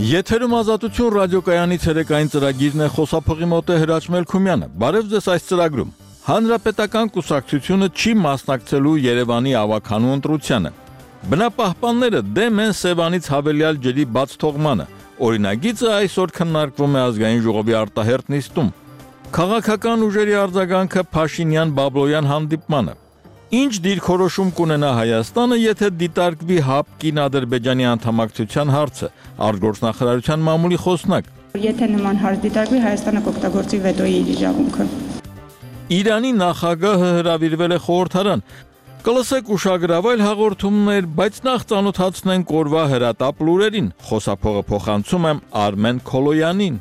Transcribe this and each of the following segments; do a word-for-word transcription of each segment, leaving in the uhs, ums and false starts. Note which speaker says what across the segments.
Speaker 1: Եթերում Ազատություն ռադիոկայանի ցերեկային ծրագիրն է, խոսափողի մոտ է Հրաչ Մելքումյանը։ Բարև ձեզ այս ծրագրում։ Հանրապետական կուսակցությունը չի մասնակցելու Երևանի ավականու ընտրությանը։ Բնապահպանները դեմ են Սևանից հավելյալ ջրի բաց թողմանը։ Օրինագիծը այսօր քննարկվում է ազգային ժողովի արտահերթ նիստում։ Քաղաքական ուժերի արձագանքը Փաշինյան-Բաբլոյան հանդիպմանը։ Ինչ դիրքորոշում կունենա Հայաստանը, եթե դիտարկվի ՀԱՊ կին-ադրբեջանի անդամակցության հարցը, արտգործնախարարության մամուլի խոսնակ։
Speaker 2: Եթե նման հարց դիտարկվի, Հայաստանը կօգտագործի վետոյի իր իրավունքը։
Speaker 1: Իրանի նախագահը հրավիրվել է խորհրդարան։ Կլսեք ուշագրավայր հաղորդումներ, բայց նախ ծանոթացնենք օրվա հրատապ լուրերին։ Խոսափողը փոխանցում եմ Արմեն Քոլոյանին։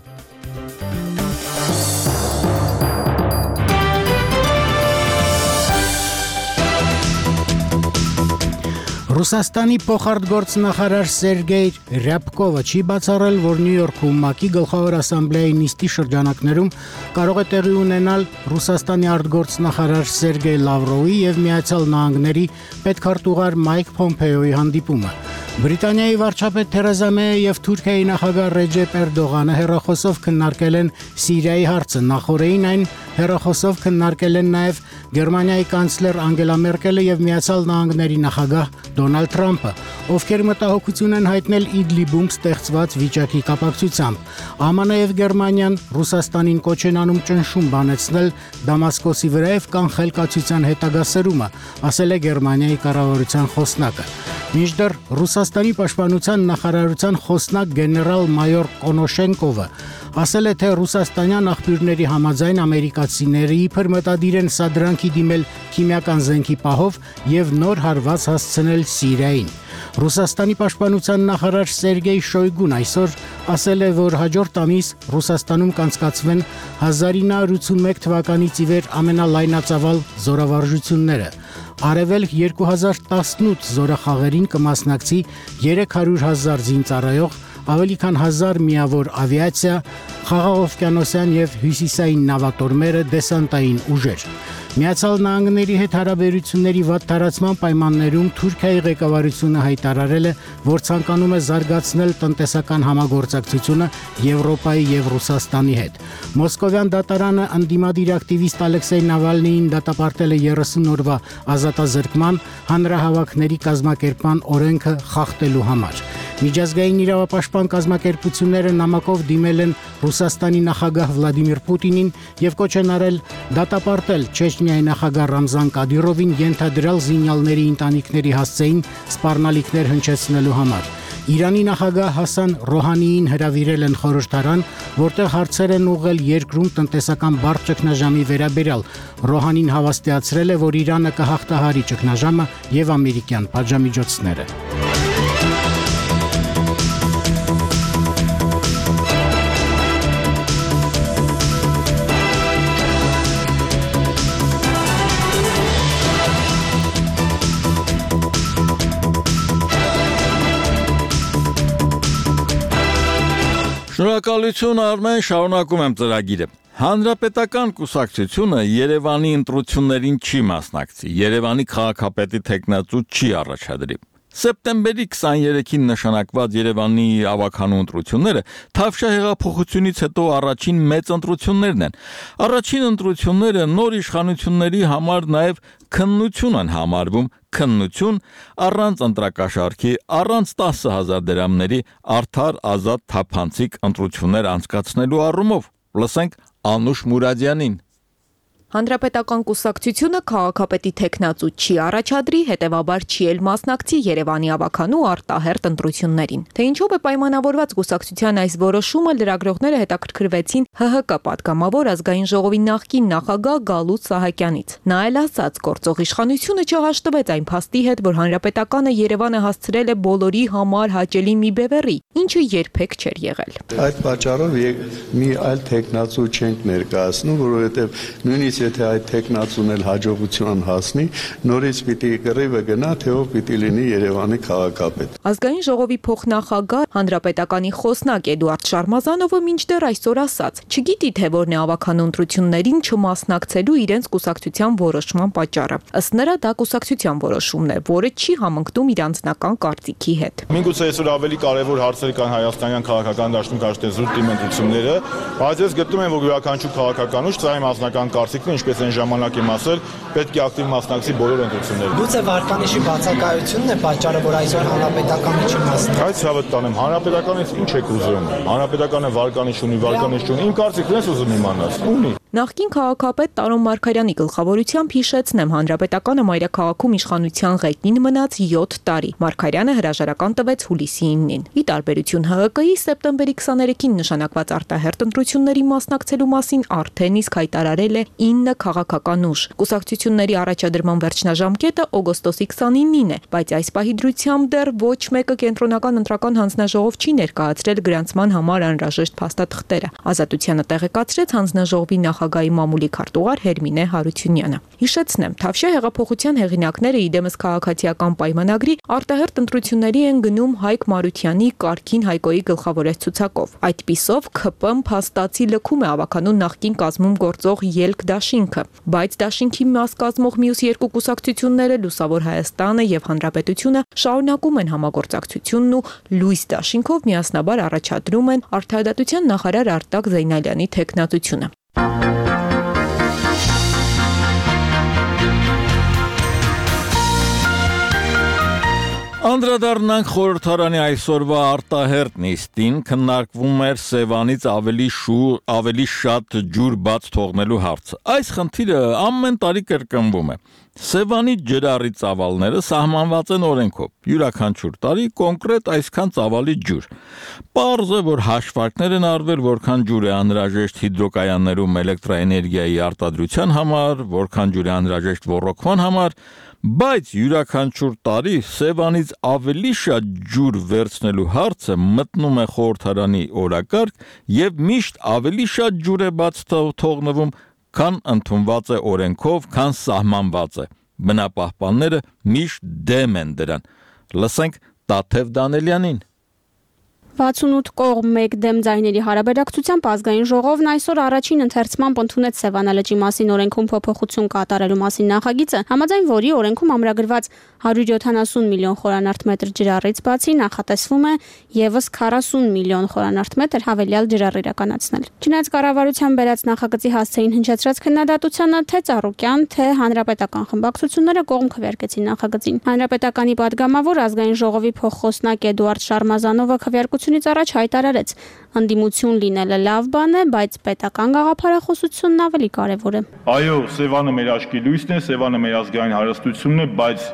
Speaker 3: Ռուսաստանի փոխարտգործնախարար Սերգեյ Ռյաբկովը չի բացառել, որ Նյու Յորքում ՄԱԿ-ի գլխավոր ասամբլեայի նիստի շրջանակներում կարող է տեղի ունենալ Ռուսաստանի արտգործնախարար Սերգեյ Լավրովի եւ Միացյալ Նահանգների պետքարտուղար Մայք Փոմփեոյի հանդիպումը։ Բրիտանիայի վարչապետ Թերեզա Մեյը եւ Թուրքիայի նախագահ Ռեջեփ Էրդողանը հերախոսով քննարկել են Սիրիայի հարցը, նախորդին այն հերախոսով քննարկել են նաեւ Գերմանիայի կանցլեր Անգելա Մերկելը եւ Միացյալ Նահանգների նախագահ Դոնալդ Թրամփը, ովքեր մտահոգություն են հայտնել Իդլիբում ստեղծված վիճակի կապակցությամբ։ ԱՄՆ եւ Գերմանիան Ռուսաստանին կոչ են անում ճնշում բանեցնել Դամասկոսի վրայով կանխել կացության հետագա սրումը, ասել է Գերմանիայի կառավարության խոսնակը։ Մինչդեռ Ռուսաստանի պաշտպանության նախարարության խոսնակ գեներալ-մայոր Կոնոշենկովը ասել է, թե ռուսաստանյան աղբյուրների համաձայն ամերիկացիները իբր մտադիր են սադրանքի դիմել քիմիական զենքի պահով եւ նոր հարված հասցնել Սիրիային։ Ռուսաստանի պաշտպանության նախարար Սերգեյ Շոյգուն այսօր ասել է, որ հաջորդ ամիս Ռուսաստանում կանցկացվեն հազար ինը հարյուր ութսունմեկ թվականից ի վեր ամենալայնածավալ զորավարժությունները։ Արևելք երկու հազար տասնութ զորախաղերին կմասնակցի երեք հարյուր հազար զինծառայող, ավելի քան հազար միավոր ավիացիա, խաղաղօվկիանոսյան եւ հյուսիսային նավատորմերը, դեսանտային ուժեր։ Միացյալ Նահանգների հետ հարաբերությունների վատ տարածման պայմաններում Թուրքիայի ղեկավարությունը հայտարարել է, որ ցանկանում է զարգացնել տնտեսական համագործակցությունը Եվրոպայի եւ Ռուսաստանի հետ։ Մոսկովյան դատարանը ընդդիմադիր ակտիվիստ Ալեքսեյ Նավալնիին դատապարտել է երեսուն օրվա ազատազրկման, հանրահավաքների կազմակերպման օրենքը խախտելու համար։ Միջազգային իրավապաշտպան կազմակերպությունները նամակով դիմել են Ռուսաստանի նախագահ Վլադիմիր Պուտինին եւ կոչ են արել դատապարտել Չեչնիայի նախագահ Ռամզան Կադիրովին ենթադրյալ զինյալների ընտանիքների հասցեին սպառնալիքներ հնչեցնելու համար։ Իրանի նախագահ Հասան Ռոհանիին հրավիրել են խորհրդարան, որտեղ հարցեր են ուղղել երկրում տնտեսական բարդ ճգնաժամի վերաբերյալ։ Ռոհանին հավաստիացրել է, որ Իրանը կհաղթահարի ճգնաժամը եւ ամերիկյան պատժամիջոցները։
Speaker 1: Շնորհակալություն Արմեն, շարունակում եմ ծրագիրը։ Հանրապետական կուսակցությունը Երևանի ընտրություններին չի մասնակցի, Երևանի քաղաքապետի թեկնածու չի առաջադրի։ Սեպտեմբերի քսաներեքին նշանակված Երևանի ավականու ընտրությունները Թավշյա հեղափոխությունից հետո առաջին մեծ ընտրություններն են։ Առաջին ընտրությունները նոր իշխանությունների համար նաև քննություն են համարվում, քննություն առանց ընտրակաշառքի, առանց տասը հազար դրամների արդար, ազատ, թափանցիկ ընտրություններ անցկացնելու առումով։ Լսենք Անուշ Մուրադյանին։
Speaker 4: Հանրապետական կուսակցությունը քաղաքապետի թեկնածու չի առաջադրի, հետևաբար չի էլ մասնակցի Երևանի ավականու արտահերթ ընտրություններին։ Թե ինչով է պայմանավորված կուսակցության այս որոշումը, լրագրողները հետաքրքրվեցին ՀՀԿ պատգամավոր ազգային ժողովի նախկին նախագահ Գալուստ Սահակյանից։ Նա էլ ասաց, գործող իշխանությունը չհաշտվեց այն փաստի հետ, որ հանրապետականը Երևանը հասցրել է բոլորի համար հաճելի մի բևեռի, ինչը երբեք չէր եղել։
Speaker 5: Այդ պատճառով մի այլ թեկնածու չենք ներկայացնում, որովհետև նույնիսկ եթե այդ տեխնացուն էլ հաջողության հասնի, նորից պիտի կռիվը գնա, թե ով պիտի լինի Երևանի քաղաքապետ։
Speaker 4: Ազգային ժողովի փոխնախագահ հանրապետականի խոսնակ Էդուարդ Շարմազանովը մինչդեռ այսօր ասաց. չգիտի թե որն է ավականու ընտրություններին չմասնակցելու իրենց կուսակցության որոշման պատճառը։ Ըստ նրա դա կուսակցության որոշումն է, որը չի համընկնում իր անձնական կարծիքի հետ։
Speaker 6: Միգուցե այսօր ավելի կարևոր հարցեր կան հայաստանյան քաղաքական դաշտում կարծես զուտ դիմադրությունները, բայց ես գտնում եմ, որ յուրաքանչյուր քաղաքական ուժ ծայր անձնական կարծիքն ինչպես այն ժամանակ եմ ասել, պետք է ակտիվ մասնակցի բոլոր ընտրություններին։
Speaker 7: Գուցե վարկանիշի բացակայությունն է պատճառը, որ այսօր հանրապետականը չի մասնակցում։
Speaker 6: Այս ցավը տանեմ, հանրապետականից ինչ եք ուզում։ Հանրապետականը վարկանիշ ունի, վարկանիշ չունի, իմ կարծիքն ես ուզում իմանալ։ Ունի։
Speaker 4: Նախկին քաղաքապետ Տարոն Մարգարյանի գլխավորությամբ հիշեցնեմ, հանրապետականը մայրաքաղաքում իշխանության ղեկին մնաց յոթ տարի։ Մարգարյանը հրաժարական տվեց հուլիսի իննին։ Ի տարբերություն Հ Հ Կ-ի սեպտեմբերի քսաներեքին նշանակված արտահերթ ընտրությունների մասնակցելու մասին արդեն իսկ հայտարարել է ինը քաղաքական ուժ։ Կուսակցությունների առաջադրման վերջնաժամկետը օգոստոսի քսանինին է, բայց այս պահի դրությամբ դեռ ոչ մեկը կենտրոնական ընտրական հանձնաժողով չի ներկայացրել գրանցման համար անհրաժեշտ փաստաթղթերը։ Ազատությանը տեղեկացրեց հանձնաժողովի նախագահի մամուլի քարտուղար Հերմինե Հարությունյանը։ Հիշեցնեմ, Թավշյա հեղափոխության հեղինակները իդեմս քաղաքացիական պայմանագրի արտահերթ ընտրությունների են գնում Հայկ Մարությանի Կարքին Հայկոյի գլխավորած ցուցակով։ Այդպիսով K P M փաստացի լքում է ավականու նախկին կազմում գործող ելք դաշինքը, բայց դաշինքի մաս կազմող մյուս երկու կուսակցությունները Լուսավոր Հայաստանը եւ Հանրապետությունը շարունակում են համագործակցությունն ու լույս դաշինքով միասնաբար առաջադրում են Արդարադատության նախարար Արտակ Զեյնալյանի թեկնածությունը։
Speaker 1: Անդրադառնանք խորհրդարանի այսօրվա արտահերթ նիստին, քննարկվում էր Սևանից ավելի շուր, ավելի շատ ջուր բաց թողնելու հարցը։ Այս խնդիրը ամեն տարի կրկնվում է։ Սևանի ջրառի ծավալները սահմանված են օրենքով։ Յուրաքանչյուր տարի կոնկրետ այսքան ծավալի ջուր։ Պարզ է, որ հաշվարկներ են արվել, որքան ջուր է անհրաժեշտ հիդրոկայաններում էլեկտրաէներգիայի արտադրության համար, որքան ջուր է անհրաժեշտ ոռոգման համար, բայց յուրաքանչյուր տարի Սևանից ավելի շատ ջուր վերցնելու հարցը մտնում է խորհրդարանի օրակարգ եւ միշտ ավելի շատ ջուր է բաց թողնվում, քան ընդունված է օրենքով, քան սահմանված է։ Բնապահպանները միշտ դեմ են դրան։ Լսենք Տաթև Դանելյանին։
Speaker 8: վաթսունութ կողմ մեկ դեմ ձայների հարաբերակցությամբ ազգային ժողովն այսօր առաջին ընթերցմամբ ընդունեց Սևանալճի մասին օրենքում փոփոխություն կատարելու մասին նախագիծը, համաձայն որի օրենքում ամրագրված հարյուր յոթանասուն միլիոն խորանարդ մետր ջրառից բացի նախատեսվում է եւս քառասուն միլիոն խորանարդ մետր հավելյալ ջրառ իրականացնել։ Չնայած կառավարության բերած նախագծի հասցեին հնչեցրած քննադատությանը թե Ծառուկյան, թե հանրապետական խմբակցությունները կողմ քվեարկեցին նախագծին։ Հանրապետականի падգամավոր ազգային ժողովի փոխխոսնակ Էդուարդ Շարմազանովը քվեարկությունից առաջ հայտարարեց. ընդդիմություն լինելը լավ բան է, բայց պետական գաղափարախոսությունն ավելի կարևոր է։
Speaker 6: Այո, Սևանը մեր աչքի լույսն է, Սևանը մեր ազգային հարստությունն է, բայց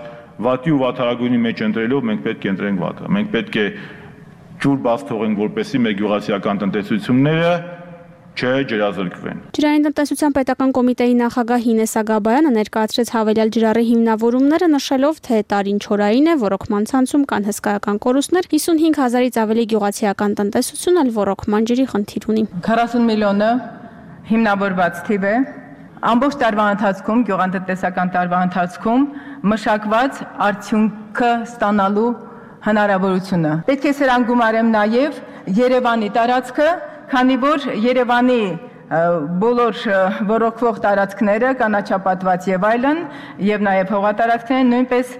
Speaker 6: վատի ու վաթարագույնի մեջ ընտրելով մենք պետք է ընտրենք վատը։ Մենք պետք է ջուր բաց թողենք, որպեսզի մեր գյուղացիական տնտեսությունները չջրազրկվեն։
Speaker 8: Ջրային տնտեսության պետական կոմիտեի նախագահ Հինես Ագաբայանը ներկայացրեց հավելյալ ջրառի հիմնավորումները, նշելով, թե տարին չորային է, ոռոգման ցանցում կան հսկայական կորուստներ, հիսունհինգ հազարից ավելի գյուղացիական տնտեսություն էլ ոռոգման ջրի խնդիր ունի։
Speaker 9: քառասուն միլիոնը հիմնավորված թիվ է, ամբողջ տարվա ընթացքում, գյուղատնտեսական տարվա ընթացքում մշակված արդյունքը ստանալու հնարավորությունը։ Պետք է սրան գումարեմ նաև Երևանի տարածքը, քանի որ Երևանի բոլոր ոռոգվող տարածքները, կանաչապատված եւ այլն, եւ նաեւ հողատարածքները նույնպես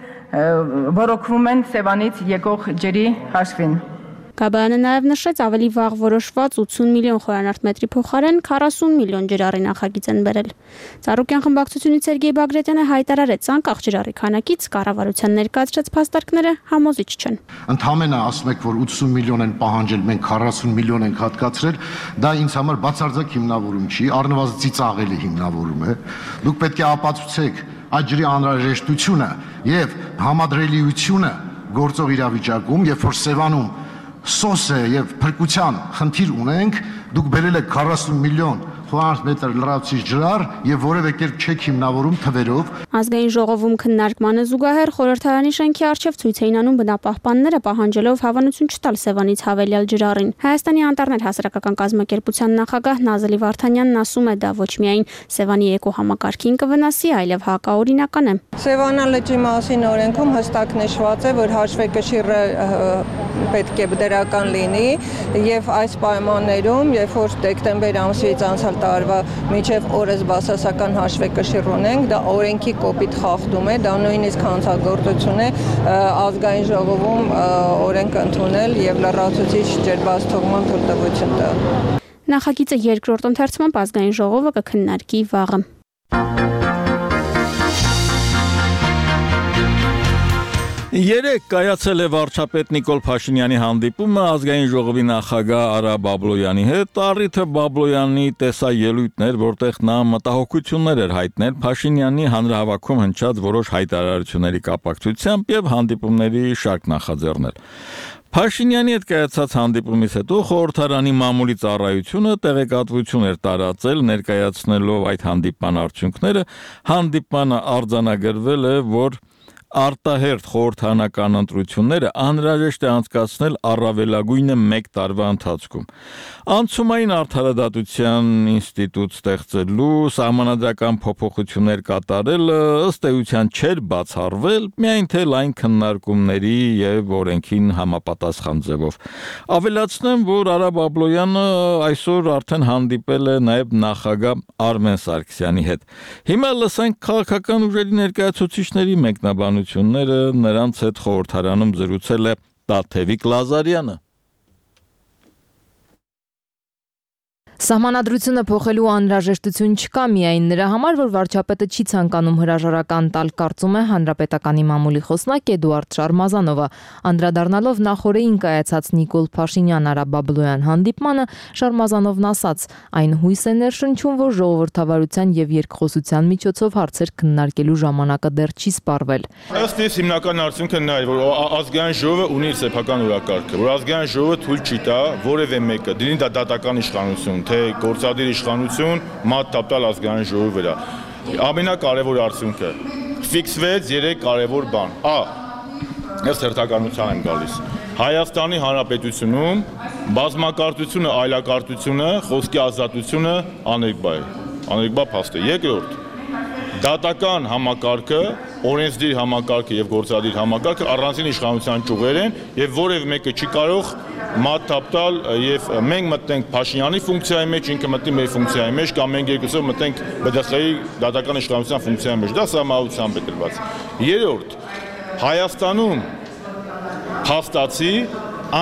Speaker 9: ոռոգվում են Սևանից եկող ջրի հաշվին։
Speaker 8: Գաբայանը նաև նշեց ավելի վաղ որոշված ութսուն միլիոն խորանարդ մետրի փոխարեն քառասուն միլիոն ջրառի նախագիծ են բերել։ Ծառուկյան խմբակցությունից Սերգեյ Բագրատյանը հայտարարեց, անկախ ջրառի քանակից կառավարության ներկայացրած փաստարկները համոզիչ չեն։
Speaker 10: Ընդհանրապես ասում եք, որ ութսուն միլիոն են պահանջել, մենք քառասուն միլիոն ենք հատկացրել, դա ինձ համար բացարձակ հիմնավորում չի, առնվազն ծիծաղելի հիմնավորում է։ Դուք պետք է ապացուցեք այդ ջրի անհրաժեշտությունը եւ համադրելիությունը գործող իրավիճակում, երբ որ Սևանում սոս է եւ փրկության խնդիր ունենք, դուք բերել եք քառասուն միլիոն խոհանոց մետր լրացուցիչ ջրառ եւ որևէ կերպ չեք հիմնավորում թվերով։
Speaker 8: Ազգային ժողովում քննարկմանը զուգահեռ խորհրդարանի շենքի առջև ցույց էին անում բնապահպանները, պահանջելով հավանություն չտալ Սևանից հավելյալ ջրառին։ Հայաստանի անտառներ հասարակական կազմակերպության նախագահ Նազելի Վարդանյանն ասում է, դա ոչ միայն Սևանի էկոհամակարգին կվնասի, այլև հակաօրինական է։
Speaker 11: Սևանա լճի մասին օրենքում հստակ նշված է, որ հաշվեկշիռը պետք է դրական լինի եւ այս պայմաններում, երբ որ դեկտեմբեր ամսից անցյալ տարվա մինչեւ օրս բասասական հաշվեկշիռ ունենք, դա օրենքի կոպիտ խախտում է, դա նույնիսկ հանցագործություն է ազգային ժողովում օրենք ընդունել եւ լրացուցիչ ջրբացթողման թույլտվություն տալ։
Speaker 8: Նախագիծը երկրորդ ընթերցման ազգային ժողովը կքննարկի վաղը։
Speaker 1: Երեք կայացել է վարչապետ Նիկոլ Փաշինյանի հանդիպումը ազգային ժողովի նախագահ Արա Բաբլոյանի հետ, առիթը Բաբլոյանի տեսաելույթներ, որտեղ նա մտահոգություններ էր հայտնել Փաշինյանի հանրահավաքում հնչած որոշ հայտարարությունների կապակցությամբ եւ հանդիպումների շարք նախաձեռնել։ Փաշինյանի հետ կայացած հանդիպումից հետո խորհրդարանի մամուլի ծառայությունը տեղեկատվություն էր տարածել, ներկայացնելով այդ հանդիպման արդյունքները, հանդիպմանը արձանագրվել է, որ արտահերթ խորհրդարանական ընտրությունները անհրաժեշտ է անցկացնել առավելագույնը մեկ տարվա ընթացքում։ Անցումային արդարադատության ինստիտուտ ստեղծելու, սահմանադրական փոփոխություններ կատարելը ըստ էության չէր բացառվել, միայն թե լայն քննարկումների եւ օրենքին համապատասխան ձևով։ Ավելացնեմ, որ Արա Բաբլոյանը այսօր արդեն հանդիպել է նաեւ նախագահ Արմեն Սարգսյանի հետ։ Հիմա լսենք քաղաքական ուժերի ներկայացուցիչների մեկնաբանությունները, նրանց հետ խորհրդարանում զրուցել է Տաթևիկ Լազարյանը։
Speaker 12: Սահմանադրությունը փոխելու անհրաժեշտություն չկա միայն նրա համար, որ վարչապետը չի ցանկանում հրաժարական տալ, կարծում է Հանրապետականի մամուլի խոսնակ Էդուարդ Շարմազանովը, անդրադառնալով նախորդին կայացած Նիկոլ Փաշինյան-Արա Բաբլոյան հանդիպմանը, Շարմազանովն ասաց. այն հույս է ներշնչում, որ ժողովրդավարության եւ երկխոսության միջոցով հարցեր քննարկելու ժամանակը դեռ չի սպառվել։
Speaker 6: Ըստ իս հիմնական արդյունքը նա է, որ ազգային ժողովը ունի իր սեփական օրակարգը, որ ազգային ժողովը թույլ չի տա որևէ մեկը, դինի դա դատական իշխանություն, թե գործադիր իշխանություն մատ տապտալ ազգային ժողովի վրա։ Ամենակարևոր արդյունքը ֆիքսվեց երեք կարևոր բան։ Ա. Ես հերթականության եմ գալիս։ Հայաստանի Հանրապետությունում բազմակարծությունը, այլակարծությունը, խոսքի ազատությունը աներկբա է։ Աներկբա փաստ է։ Երկրորդ. դատական համակարգը, օրենսդիր համակարգը եւ գործադիր համակարգը առանձին իշխանության ճյուղեր են եւ որևէ մեկը չի կարող մատ տապտալ եւ մենք մտնենք Փաշինյանի ֆունկցիայի մեջ, ինքը մտնի մեր ֆունկցիայի մեջ կամ մենք երկուսով մտնենք B D X-ի դատական իշխանության ֆունկցիայի մեջ։ Դա սահմանությամբ է դրված։ Երրորդ. Հայաստանում փաստացի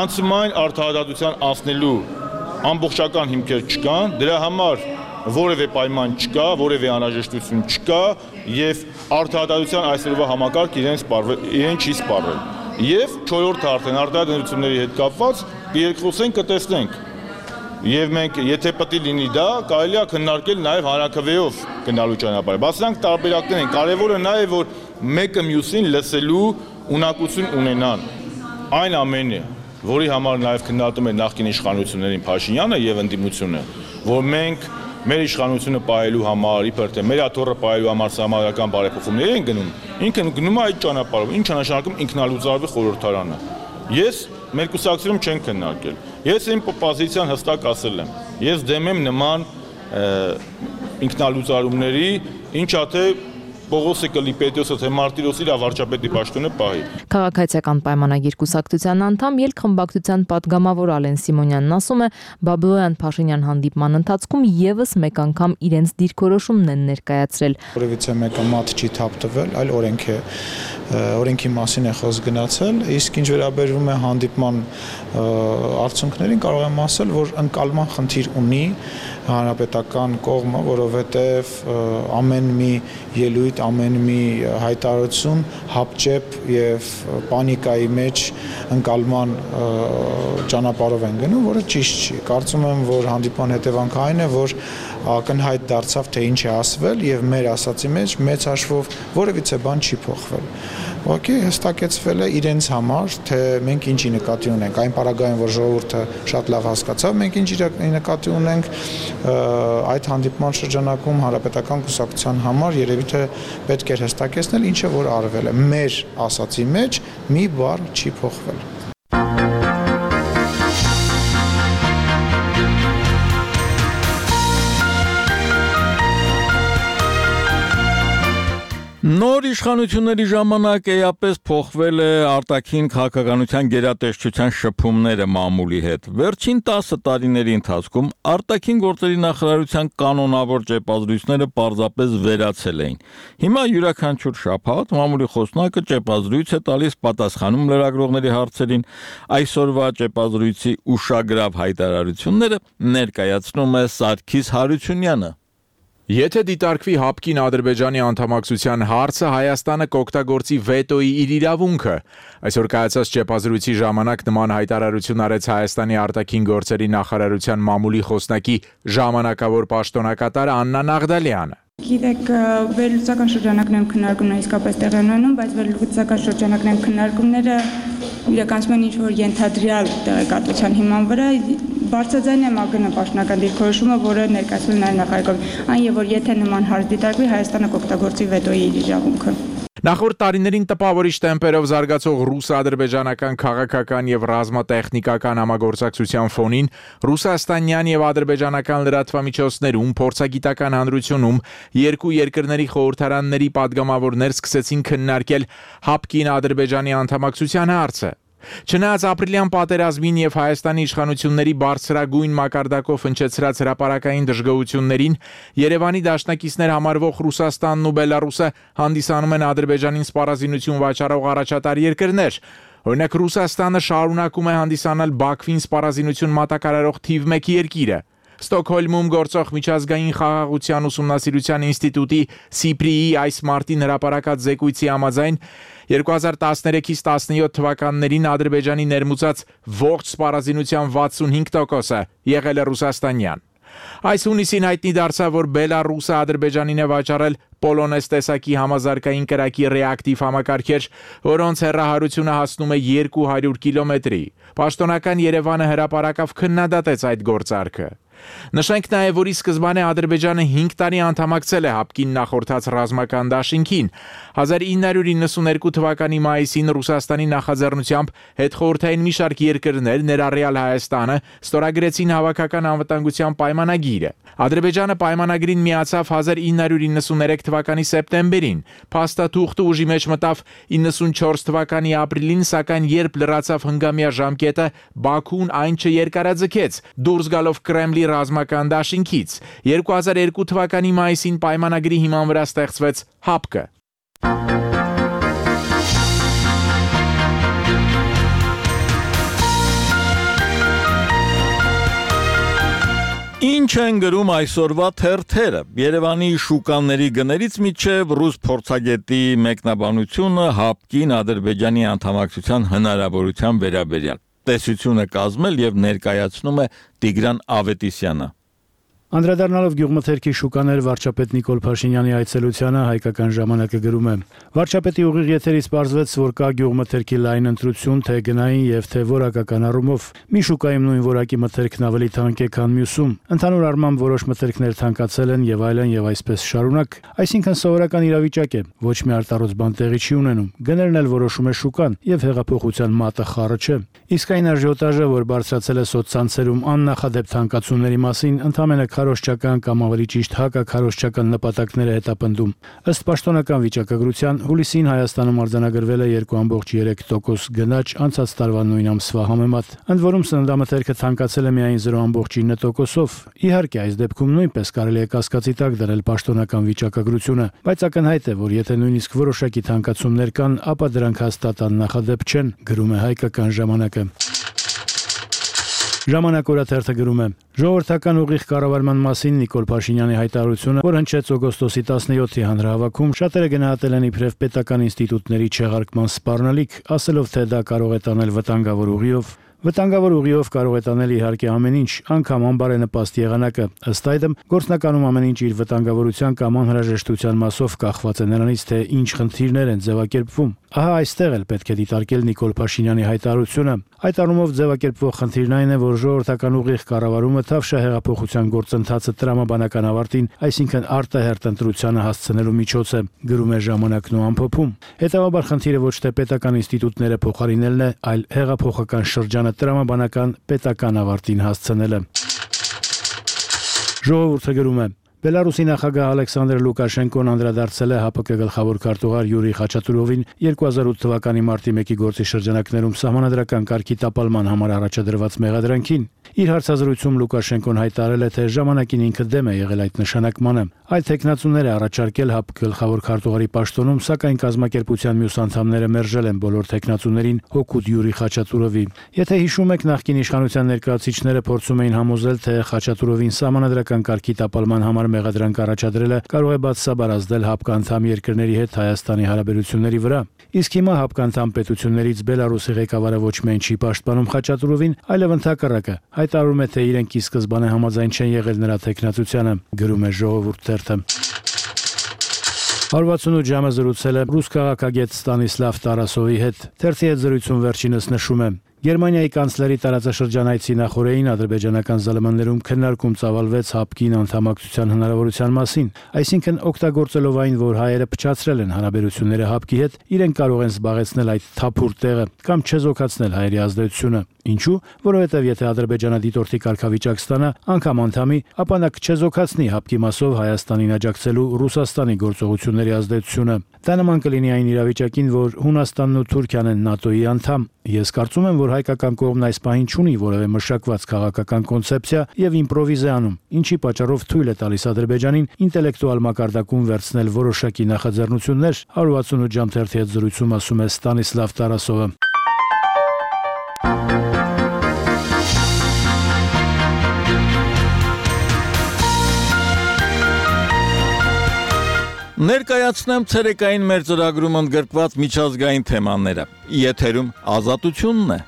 Speaker 6: անցումային արդարադատության անցնելու ամբողջական հիմքեր չկան, դրա համար որևէ պայման չկա, որևէ անհրաժեշտություն չկա եւ արդարադատության այսօրվա համակարգ իրեն սպառվել, իրեն չի սպառվել։ Եվ չորրորդ արդեն արտադրությունների հետ կապված երկխոսենք կտեսնենք։ Եվ մենք եթե պետք է լինի դա, կարելի է քննարկել նաեւ հանրակրվեով գնալու ճանապարհը։ Բացրանք տարբերակներ են, կարևորը նա է, որ մեկը մյուսին լսելու ունակություն ունենան։ Այն ամենը, որի համար նաեւ քննարկում է նախկին իշխանություններին Փաշինյանը եւ ընդդիմությունը, որ մենք մեր իշխանությունը պահելու համար, իբր թե մեր աթոռը պահելու համար սահմանադրական բարեփոխումներ են գնում, ինքը գնում է այդ ճանապարհով, ինչը նշանակում ինքնալուծարվի խորհրդարանը։ Ես մեր կուսակցությունում չենք քննարկել։ Ես իմ պոզիցիան հստակ ասել եմ։ Ես դեմ եմ նման ինքնալուծարումների, ինչա թե Պողոսը Կլիպետոսը թե Մարտիրոսի իր վարչապետի պաշտոնը պահի։
Speaker 12: Քաղաքացիական պայմանագիր կուսակցության անդամ ելքխմբակցության պատգամավոր Ալեն Սիմոնյանն ասում է, Բաբլոյան Փաշինյան հանդիպման ընթացքում եւս մեկ անգամ իրենց դիրքորոշումն են ներկայացրել։
Speaker 13: Որևիցե մեկը մատ չի թափտվել, այլ օրենք է օրենքի մասին է խոսք գնացել, իսկ ինչ վերաբերվում է հանդիպման արդյունքներին, կարող եմ ասել, որ ընկալման խնդիր ունի հանրապետական կողմը, որովհետև ամեն մի ելույթ, այդ ամեն մի հայտարարություն հապճեպ եւ պանիկայի մեջ ընկալման ճանապարհով են գնում, որը ճիշտ չի։ Կարծում եմ, որ հանդիպման հետևանքը այն է, որ ակնհայտ դարձավ, թե ինչ է ասվել եւ մեր ասացի մեջ մեծ հաշվով որևիցե բան չի փոխվել։ Ուղղակի հստակեցվել է իրենց համար, թե մենք ինչի նկատի ունենք, այն պարագայում, որ ժողովուրդը շատ լավ հասկացավ, մենք ինչի նկատի ունենք այդ հանդիպման շրջանակում հանրապետական կուսակցության համար երևի թե պետք է հստակեցնել, ինչը որ արվել է։ Մեր ասացի մեջ մի բառ չի փոխվել։
Speaker 1: Նոր իշխանությունների ժամանակ էապես փոխվել է արտաքին քաղաքականության գերատեսչության շփումները մամուլի հետ։ Վերջին տասը տարիների ընթացքում արտաքին գործերի նախարարության կանոնավոր ճեպազրույցները պարզապես վերացել էին։ Հիմա յուրաքանչյուր շաբաթ մամուլի խոսնակը ճեպազրույց է տալիս, պատասխանում լրագրողների հարցերին։ Այսօրվա ճեպազրույցի ուշագրավ հայտարարությունները ներկայացնում է Սարգիս Հարությունյանը։
Speaker 14: Եթե դիտարկվի հապկին Ադրբեջանի անդամակցության հարցը, Հայաստանը կօգտագործի վետոյի իր իրավունքը։ Այսօր կայացած ճեպազրույցի ժամանակ նման հայտարարություն արեց Հայաստանի արտաքին գործերի նախարարության մամուլի խոսնակի ժամանակավոր պաշտոնակատար Աննա Նաղդալյանը։
Speaker 2: Գիտեք, վերլուծական շրջանակներում քննարկումները իսկապես տեղի են ունենում, բայց վերլուծական շրջանակներում քննարկումները իրականացում են ինչ-որ ենթադրյալ տեղեկատվության հիման վրա, բարձրաձայն է ՄԱԳ-ը պաշտոնական դիրքորոշումը, որը ներկայացվել նաև նախագահում, այն եւ որ եթե նման հարց դիտարկվի, Հայաստանը կօգտագործի վետոյի իր իրավունքը։
Speaker 14: Նախորդ տարիներին տպավորիչ տեմպերով զարգացող ռուս-ադրբեջանական քաղաքական եւ ռազմատեխնիկական համագործակցության ֆոնին ռուսաստանյան եւ ադրբեջանական լրատվամիջոցներում փորձագիտական հանրությունում երկու երկրների խորհրդարանների падգամավորներ սկսեցին քննարկել հապկին Ադրբեջանի անդամակցության հարցը։ Չնայած ապրիլյան պատերազմին եւ Հայաստանի իշխանությունների բարձրագույն մակարդակով հնչեցրած հրապարակային դժգոհություններին, Երևանի դաշնակիցներ համարվող Ռուսաստանն ու Բելարուսը հանդիսանում են Ադրբեջանին սպառազինություն վաճառող առաջատար երկրներ։ Օրինակ Ռուսաստանը շարունակում է հանդիսանալ Բաքվին սպառազինություն մատակարարող թիվ մեկ երկիրը։ Ստոկհոլմում գործող միջազգային խաղաղության ուսումնասիրության ինստիտուտի Սիպրիի այս մարտին հրապարակած զեկույցի համաձայն երկու հազար տասներեքից տասնյոթ թվականներին Ադրբեջանի ներմուծած ողջ սպառազինության վաթսունհինգ տոկոսը եղել է ռուսաստանյան։ Այս հունիսին հայտնի դարձավ, որ Բելարուսը Ադրբեջանին է վաճառել Պոլոնես տեսակի համազարգային կրակի ռեակտիվ համակարգեր, որոնց հեռահարությունը հասնում է երկու հարյուր կիլոմետրի։ Պաշտոնական Երևանը հրապարակավ քննադատեց այդ գործարքը։ Նշենք նաև, որ ի սկզբանե Ադրբեջանը հինգ տարի անդամակցել է հապկին նախորդած ռազմական դաշինքին։ հազար ինը հարյուր իննսունհերկու թվականի մայիսին Ռուսաստանի նախաձեռնությամբ հետխորհրդային մի շարք երկրներ, ներառյալ Հայաստանը, ստորագրեցին հավաքական անվտանգության պայմանագիրը։ Ադրբեջանը պայմանագրին միացավ հազար ինը հարյուր իննսուներեք թվականի սեպտեմբերին, փաստաթուղթը ուժի մեջ մտավ իննսունչորս թվականի ապրիլին, սակայն երբ լրացավ հնգամյա ժամկետը, Բաքուն այն չերկարաձգեց, դուրս գալով Կրեմլի ռազմական դաշինքից։ երկու հազար երկու թվականի մայիսին պայմանագրի հիման վրա ստեղծվեց հապկը։
Speaker 1: Ինչ են գրում այսօրվա թերթերը։ Երևանի շուկաների գներից միջև ռուս փորձագետի մեկնաբանությունը հապկին Ադրբեջանի անդամակցության հնարավորության վերաբերյալ։ Տեսությունը կազմել եւ ներկայացնում է Տիգրան Ավետիսյանը։
Speaker 3: Անդրադառնալով գյուղմթերքի շուկաներ վարչապետ Նիկոլ Փաշինյանի այցելությանը հայկական ժամանակը գրում է. Վարչապետի ուղիղ եթերից պարզվեց, որ կա գյուղմթերքի լայն ընտրություն, թե գնային եւ թե որակական առումով։ Մի շուկայում նույն որակի մթերքն ավելի թանկ է, քան մյուսում։ Ընդհանուր առմամբ որոշ մթերքներ թանկացել են եւ այլն եւ այսպես շարունակ, այսինքն սովորական իրավիճակ է, ոչ մի արտարոց բան տեղի չի ունենում։ Գներն էլ որոշում է շուկան եւ հեղափոխության մատը խառը չէ։ Իսկ այն աժիոտաժը, որ բարձրացել է սոցցանցերում աննախադեպ թանկացումների մասին, ընդհանրապես քարոզչական կամ ավելի ճիշտ հակաքարոզչական նպատակներ է հետապնդում։ Ըստ պաշտոնական վիճակագրության, հուլիսին Հայաստանում արձանագրվել է երկու կόμma երեք տոկոս գնաճ անցած տարվա նույն ամսվա համեմատ։ Ընդ որում սննդամթերքը թանկացել է միայն զրո կόμma ինը տոկոսով։ Իհարկե, այս դեպքում նույնպես կարելի է կասկածի տակ դնել պաշտոնական վիճակագրությունը, բայց ակնհայտ է, որ եթե նույնիսկ որոշակի թանկացումներ կան, ապա դրանք հաստատ աննախադեպ չեն, գրում է հայկական ժամանակը։
Speaker 15: Ժամանակ օրաթերթը գրում է. Ժողովրդական ուղիղ կառավարման մասին Նիկոլ Փաշինյանի հայտարարությունը, որ հնչեց օգոստոսի տասնյոթի հանրահավաքում, շատերը գնահատել են իբրև պետական ինստիտուտների չեղարկման սպառնալիք, ասելով, թե դա կարող է տանել վտանգավոր ուղիով։ Վտանգավոր ուղիով կարող է տանել իհարկե ամեն ինչ, անգամ անբարենպաստ եղանակը։ Ըստ այդմ, գործնականում ամեն ինչ իր վտանգավորության կամ անհրաժեշտության մասով կախված է նրանից, թե ինչ խնդիրներ են ձևակերպվում։ Ահա այստեղ էլ պետք է դիտարկել Նիկոլ Փաշինյանի հայտարարությունը։ Այդ առումով ձևակերպվող խնդիրն այն է, որ ժողովրդական ուղիղ կառավարումը Թավշյա հեղափոխության գործընթացը տրամաբանական ավարտին, այսինքն արտահերտ ընտրությանը հասցնելու միջոց է, գրում է Ժամանակն ու ամփոփում։ Հետևաբար խնդիրը ոչ թե պետական ինստիտուտները փոխարինելն է, այլ հեղափոխական շրջանը տրամաբանական պետական ավարտին հասցնելը։ Ժողովուրդը գրում է. Բելարուսի նախագահ Ալեքսանդր Լուկաշենկոն անդրադարձել է ՀԱՊԿ գլխավոր քարտուղար Յուրի Խաչատուրովին երկու հազար ութ թվականի մարտի մեկի գործի շրջանակներում սահմանադրական կարգի տապալման համար առաջադրված մեղադրանքին։ Իր հարցազրույցում Լուկաշենկոն հայտարարել է, թե ժամանակին ինքը դեմ է եղել այդ նշանակմանը։ Այդ տեխնացուները առաջարկել ՀԱՊԿ գլխավոր քարտուղարի պաշտոնում, սակայն կազմակերպության մյուս անդամները մերժել են բոլոր տեխնացուներին հօգուտ Յուրի Խաչատուրովի։ Եթե հիշում եք, նախկին իշխանության ներկայացուցիչները փորձում էին համոզել, թե Խաչատուրովին սահմանադրական կարգի տապալման համար մեղադրանք առաջադրելը կարող է բացասաբար ազդել ՀԱՊԿ անդամ երկրների հետ Հայաստանի հարաբերությունների վրա։ Իսկ հիմա ՀԱՊԿ անդամ պետություններից Բելարուսի ղեկավարը ոչ միայն չի պաշտպանում Խաչատուրովին, այլև ընդհակառակը հայտարարում է, թե իրենք ի սկզբանե համաձայն չեն եղել նրա տեխնացությանը, գրում է Ժողովուրդ թերթը։ հարվածունոց ժամը զրուցել է ռուս քաղաքագետ Ստանիսլավ Տարասովի հետ։ Թերթի հետ զրույցում վերջինս նշում է. Գերմանիայի կանցլերի տարածաշրջան այցի նախօրեին ադրբեջանական ԶԼՄ-ներում քննարկում ծավալվեց ՀԱՊԿ-ին անդամակցության հնարավորության մասին, այսինքն օգտագործելով այն, որ հայերը փչացրել են հարաբերությունները ՀԱՊԿ-ի հետ, իրենք կարող են զբաղեցնել այդ թափուր տեղը կամ չեզոքացնել հայերի ազդեցությունը։ Ինչու՞, որովհետև եթե Ադրբեջանը դիտորդի կարգավիճակ ստանա, անգամ անդամի, ապա նա կչեզոքացնի ՀԱՊԿ-ի մասով Հայաստանին աջակցելու Ռուսաստանի գործողությունների ազդեցությունը։ Դա նման կլինի այն իրավիճակին, որ Հունաստանն ու Թուրքիան են ՆԱՏՕ-ի անդամ։ Ես կարծում եմ, որ հայկական կողմն այս պահին չունի որևէ մշակված քաղաքական կոնցեպցիա եւ իմպրովիզ է անում, ինչի պատճառով թույլ է տալիս Ադրբեջանին ինտելեկտուալ մակարդակում վերցնել որոշակի նախաձեռնություններ, one sixty-eight ժամ թերթի հետ զրույցում ասում է Ստանիսլավ Տարասովը։
Speaker 1: Ներկայացնեմ ցերեկային մեր ծրագրում ընդգրկված միջազգային թեմաները։ Եթերում ազատությունն է։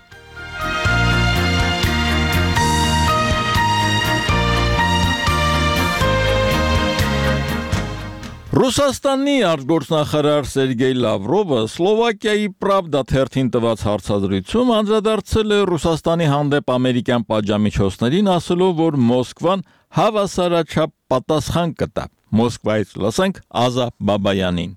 Speaker 1: Ռուսաստանի արտգործնախարար Սերգեյ Լավրովը Սլովակիայի Պրավդա թերթին տված հարցազրույցում անդրադարձել է Ռուսաստանի հանդեպ ամերիկյան պատժամիջոցներին, ասելով, որ Մոսկվան հավասարաչափ պատասխան կտա։ Մոսկվայից լսենք Ազա Բաբայանին։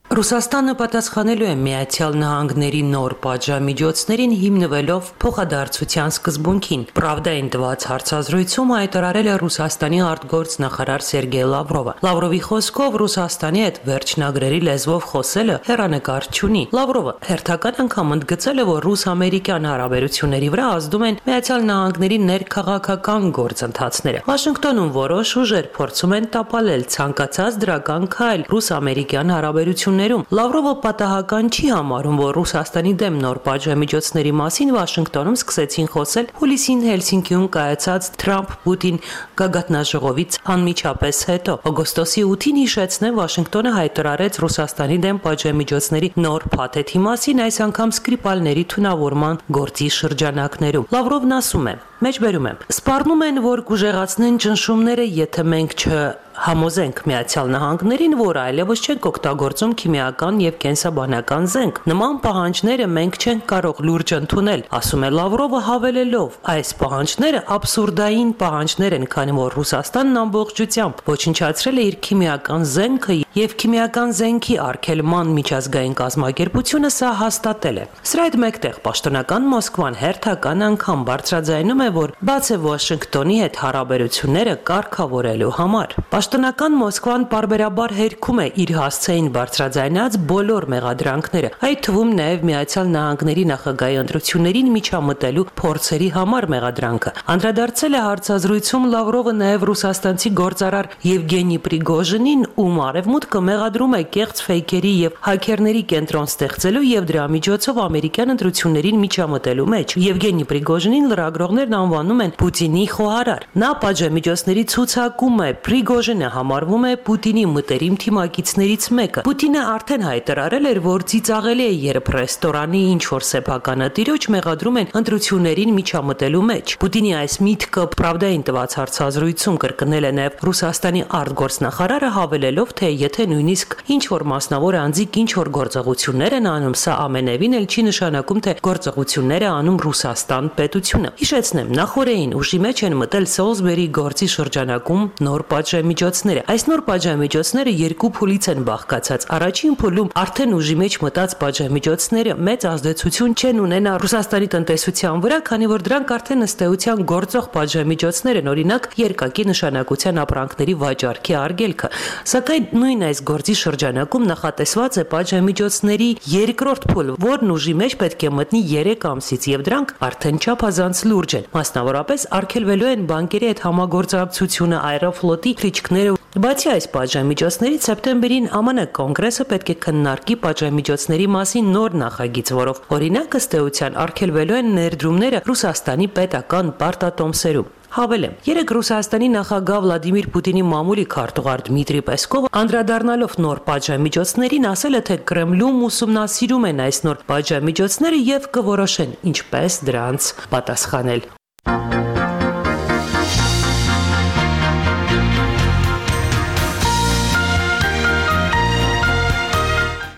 Speaker 16: Ռուսաստանը պատասխանելու է Միացյալ Նահանգների նոր պատժամիջոցներին հիմնվելով փոխադարձության սկզբունքին։ Պրավդային տված հարցազրույցում հայտարարել է Ռուսաստանի արտգործնախարար Սերգեյ Լավրովը։ Լավրովի խոսքով Ռուսաստանի հետ վերջնագրերի լեզվով խոսելը հեռանկար չունի։ Լավրովը հերթական անգամ ընդգծել է, որ ռուս-ամերիկյան հարաբերությունների վրա ազդում են Միացյալ Նահանգների ներքաղաքական գործընթացները։ Վաշինգտոնում որոշ ուժեր փորձում են տապալել ցանկացած դրական քայլ ռուս-ամերիկյան հարաբերությունների Լավրովը պատահական չի համարում, որ Ռուսաստանի դեմ նոր պատժամիջոցների մասին Վաշինգտոնում սկսեցին խոսել հուլիսին Հելսինկիում կայացած Թրամփ-Պուտին գագաթնաժողովից անմիջապես հետո։ Օգոստոսի ութին հիշեցնեմ, Վաշինգտոնը հայտարարեց Ռուսաստանի դեմ պատժամիջոցների նոր փաթեթի մասին, այս անգամ Սկրիպալների թունավորման գործի շրջանակներում։ Լավրովն ասում է. Մեջբերում եմ. Սպառնում են, որ կուժեղացնեն ճնշումները, եթե մենք չհամոզենք Միացյալ Նահանգներին, որ այլևս չենք օգտագործում քիմիական եւ կենսաբանական զենք։ Նման պահանջները մենք չենք կարող լուրջ ընդունել, ասում է Լավրովը, հավելելով. այս պահանջները աբսուրդային պահանջներ են, քանի որ Ռուսաստանն ամբողջությամբ ոչնչացրել է իր քիմիական զենքը եւ քիմիական զենքի արգելման միջազգային կազմակերպությունը սա հաստատել է։ Սրա հետ մեկտեղ պաշտոնական Մոսկվան հերթական անգամ բարձրաձայնում է, որ բաց է Վաշինգտոնի հետ հարաբերությունները կարգավորելու համար։ Պաշտոնական Մոսկվան պարբերաբար հերքում է իր հասցեին բարձրաձայնած բոլոր մեղադրանքները, այդ թվում նաև Միացյալ Նահանգների նախագահի ընտրություններին միջամտելու փորձերի համար մեղադրանքը։ Անդրադարձել է հարցազրույցում Լավրովը նաև ռուսաստանցի գործարար Եվգենի Պրիգոժինին, ում արևմուտքը մեղադրում է կեղծ ֆեյքերի եւ հաքերների կենտրոն ստեղծելու եւ դրա միջոցով ամերիկյան ընտրություններին միջամտելու մեջ։ Եվգենի Պրիգոժինին լրագրողներն անվանում են Պուտինի խոհարար։ Նա պատժամիջոցների ցուցակում է, Պրիգոժինը համարվում է Պուտինի մտերիմ թիմակիցներից մեկը։ Պուտինը արդեն հայտարարել էր, որ ծիծաղելի է, երբ ռեստորանի ինչ-որ սեփականատիրոջ մեղադրում են ընտրություններին միջամտելու մեջ։ Պուտինի այս միտքը Pravda-ին տված հարցազրույցում կրկնել է նաև Ռուսաստանի արտգործնախարարը, հավելելով, թե եթե նույնիսկ ինչ-որ մասնավոր անձիկ ինչ-որ գործողություններ են անում, սա ամենևին էլ չի նշանակում, թե գործողությունները անում Ռուսաստան պետությունը։ Հիշեցնեմ, նախորդին ուժի մեջ են մտել Սոլսբերի գործի շրջանակում նոր պատժամիջոցները։ Այս նոր պատժամիջոցները երկու փուլից են բաղկացած։ Առաջին փուլում արդեն ուժի մեջ մտած պատժամիջոցները մեծ ազդեցություն չեն ունենա Ռուսաստանի տնտեսության վրա, քանի որ դրանք արդեն ըստ էության գործող պատժամիջոցներ են, օրինակ երկակի նշանակության ապրանքների վաճառքի արգելքը։ Սակայն նույն այս գործի շրջանակում նախատեսված է պատժամիջոցների երկրորդ փուլ, որն ուժի մեջ պետք է մտնի երեք ամսից, եւ դրանք արդեն չափազանց լուրջ են։ Մասնավորապես արգելվելու են բանկերի հետ համագործակցությունը, Aeroflot-ի թռիչքները։ Բացի այս պատժամիջոցներից, սեպտեմբերին Ամն կոնգրեսը պետք է քննարկի պատժամիջոցների մասին նոր նախագիծ, որով օրինակ ըստ էության արգելվելու են ներդրումները Ռուսաստանի պետական պարտատոմսերում։ Հավելեմ, երեք Ռուսաստանի նախագահ Վլադիմիր Պուտինի մամուլի քարտուղար Դմիտրի Պեսկովը անդրադառնալով նոր պատժամիջոցներին ասել է, թե Կրեմլում ուսումնասիրում են այս նոր պատժամիջոցները եւ կորոշեն ինչպես դրանց պատասխանել։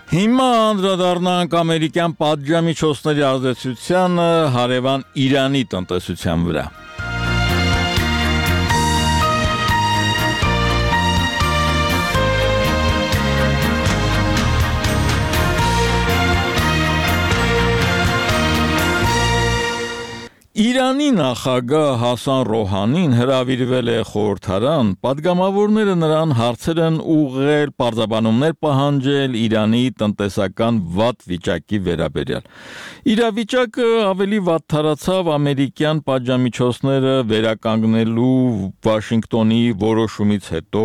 Speaker 1: Հիմա անդրադառնանք ամերիկյան պատժամիջոցների ազդեցությանը հարևան Իրանի տնտեսության վրա։ Իրանի նախագահ Հասան Ռոհանին հրավիրվել է խորհրդարան, պատգամավորները նրան հարցեր են ուղղել, պարզաբանումներ պահանջել Իրանի տնտեսական վատ վիճակի վերաբերյալ։ Իրավիճակը ավելի վատթարացավ ամերիկյան պատժամիջոցները վերականգնելու Վաշինգտոնի որոշումից հետո,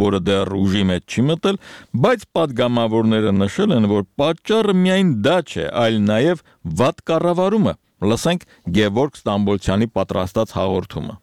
Speaker 1: որը դեռ ուժի մեջ չի մտել, բայց պատգամավորները նշել են, որ պատճառը միայն դա չէ, այլ նաև վատ կառավարումը։ Լսենք Գևորգ Ստամբոլցյանի պատրաստած հաղորդումը։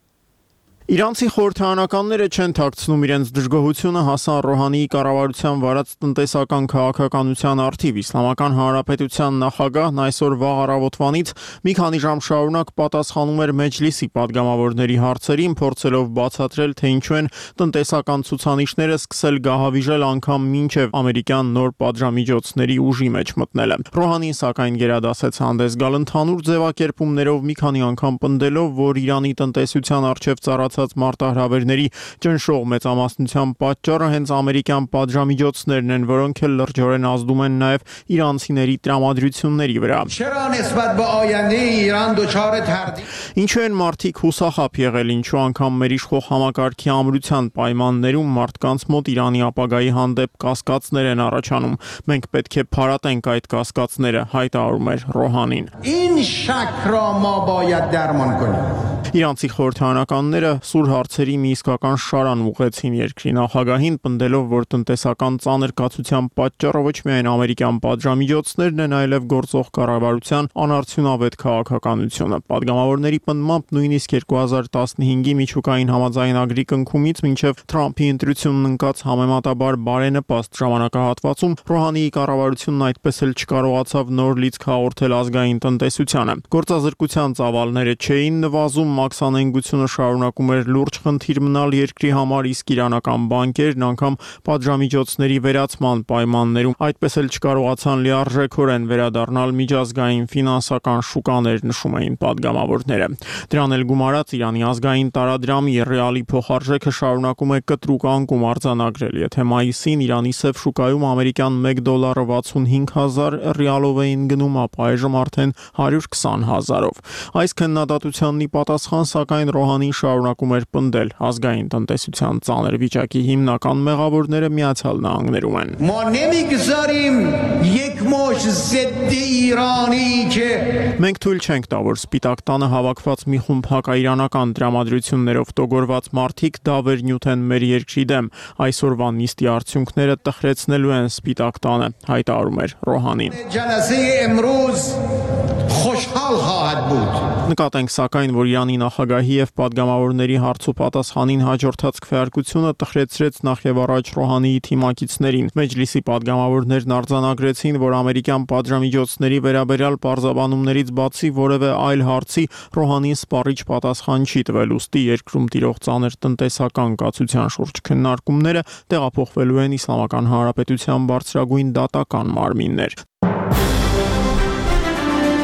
Speaker 17: Իրանցի խորհրդարանականները չեն թաքցնում իրենց դժգոհությունը Հասան Ռոհանիի կառավարության վարած տնտեսական քաղաքականության առթիվ։ Իսլամական Հանրապետության նախագահն այսօր վաղ առավոտվանից մի քանի ժամ շարունակ պատասխանում էր Մեջլիսի պատգամավորների հարցերին, փորձելով բացատրել, թե ինչու են տնտեսական ցուցանիշները սկսել գահավիժել անգամ մինչև ամերիկյան նոր պատժամիջոցների ուժի մեջ մտնելը։ Ռոհանին սակայն գերադասեց հանդես գալ ընդհանուր ձևակերպումներով, մի քանի անգամ պնդելով, որ Իրանի տնտեսության առջև ծառած մարտահրավերների ճնշող մեծամասնության պատճառը հենց ամերիկյան պատժամիջոցներն են, որոնք էլ լրջորեն ազդում են նաև իրանցիների տրամադրությունների վրա։ Ինչու են մարդիկ հուսախաբ եղել, ինչու անգամ մեր իշխող համակարգի ամրության պայմաններում մարդկանց մոտ Իրանի ապագայի հանդեպ կասկածներ են առաջանում։ Մենք պետք է փարատենք այդ կասկածները, հայտարարում էր Ռոհանին։ Իրանցի խորհրդարանականները սուր հարցերի մի իսկական շարան ուղղեցին երկրի նախագահին, պնդելով, որ տնտեսական ծանր կացության պատճառը ոչ միայն ամերիկյան պատժամիջոցներն են, այլև գործող կառավարության անարդյունավետ քաղաքականությունը։ Պատգամավորների պնդմամբ նույնիսկ երկու հազար տասնհինգի միջուկային համաձայնագրի կնքումից մինչև Թրամփի ընտրությունն ընկած համեմատաբար բարենպաստ ժամանակահատվածում Ռոհանիի կառավարությունն այդպես էլ չկարողացավ նոր լիցք հաղորդել ազգային տնտեսությանը։ Գործազրկության ծավալները չէին նվազում, մաքսանենգությունը շարունակում էր լուրջ խնդիր մնալ երկրի համար, իսկ իրանական բանկերն անգամ պատժամիջոցների վերացման պայմաններում այդպես էլ չկարողացան լիարժեքորեն վերադառնալ միջազգային ֆինանսական շուկաներ, նշում էին պատգամավորները։ Դրան էլ գումարած Իրանի ազգային տարադրամի ռեալի փոխարժեքը շարունակում է կտրուկ անկում արձանագրել։ Եթե մայիսին Իրանի սև շուկայում ամերիկյան մեկ դոլարը վաթսունհինգ հազար ռիալով էին գնում, ապա այժմ արդեն հարյուր քսան հազարով։ Այս քննադատությանն ի պատասխան սակայն Ռոհանին շարունակում էր պնդել ազգային տնտեսության ծանր վիճակի հիմնական մեղավորները Միացյալ Նահանգներում են։ Մենք թույլ չենք տա, որ Սպիտակ տանը հավաքված մի խումբ հակաիրանական տրամադրություններով տոգորված մարդիկ դավեր նյութեն մեր երկրի դեմ։ Այսօրվա նիստի արդյունքները տխրեցնելու են Սպիտակ տանը, հայտարարում էր Ռոհանին։ Նկատենք սակայն, որ Իրանի նախագահի եւ падգամավորների հարցու պատասխանին հաջորդած քվեարկությունը տխրեցրեց նախ եւ առաջ Ռոհանիի թիմակիցներին։ Մեջլիսի падգամավորներն արձանագրեցին, որ ամերիկյան պատժամիջոցների վերաբերյալ պարզաբանումներից բացի որևէ այլ հարցի Ռոհանին սպառիչ պատասխան չի տվել, ուստի երկրում տիրող ծանր տնտեսական կացության շուրջ քննարկումները տեղափոխվելու են Իսլամական Հանրապետության բարձրագույն դատական մարմիններ։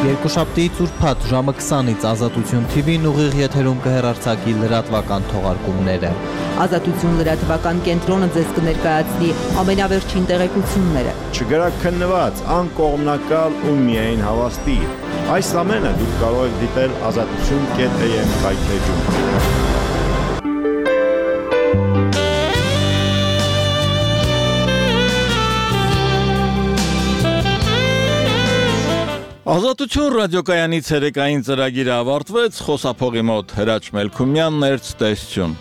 Speaker 18: Երկուշաբթի ծուրփաթ ժամը քսանից Ազատություն Թի Վին ուղիղ եթերում կհեռարձակի լրատվական թողարկումները։
Speaker 19: Ազատություն լրատվական կենտրոնը ձեզ կներկայացնի ամենավերջին տեղեկությունները։
Speaker 20: Չգրաքննված, անկողմնակալ ու միայն հավաստի։ Այս ամենը դուք կարող եք դիտել ազատություն կետ է եմ վայթեջում։
Speaker 1: Ազատություն ռադիոկայանի ցերեկային ծրագիրը ավարտվեց, խոսափողի մոտ Հրաչ Մելքումյանն էր, ցտեսություն։